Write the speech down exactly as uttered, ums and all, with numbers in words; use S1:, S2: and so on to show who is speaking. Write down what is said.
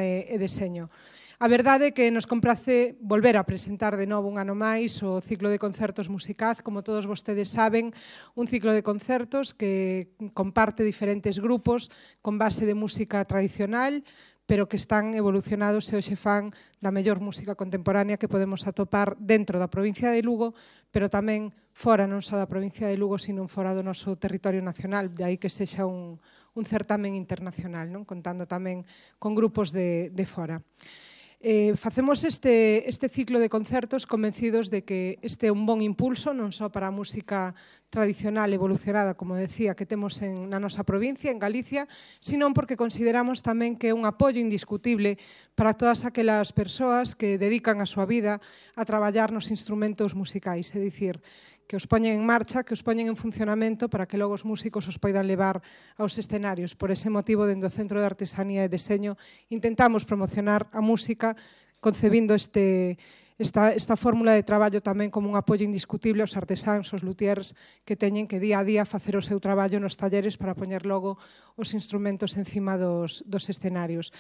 S1: e, e deseño. A verdade é que nos comprace volver a presentar de novo un ano máis o ciclo de concertos Musicaz, como todos vostedes saben, un ciclo de concertos que comparte diferentes grupos con base de música tradicional, pero que están evolucionados e hoxe fan da mellor música contemporánea que podemos atopar dentro da provincia de Lugo, pero tamén fora non só da provincia de Lugo, sino fora do noso territorio nacional, de aí que sexa un, un certamen internacional, non? Contando tamén con grupos de, de fora. Eh, facemos este, este ciclo de concertos convencidos de que este é un bon impulso non só para a música tradicional evolucionada, como decía, que temos en, na nosa provincia, en Galicia, sino porque consideramos tamén que é un apoio indiscutible para todas aquelas persoas que dedican a súa vida a traballar nos instrumentos musicais, é dicir, que os poñen en marcha, que os poñen en funcionamento para que logo os músicos os poidan levar aos escenarios. Por ese motivo, dentro do Centro de Artesanía e Deseño, intentamos promocionar a música concebindo este, esta, esta fórmula de traballo tamén como un apoio indiscutible aos artesáns, aos luthiers, que teñen que día a día facer o seu traballo nos talleres para poñer logo os instrumentos encima dos, dos escenarios.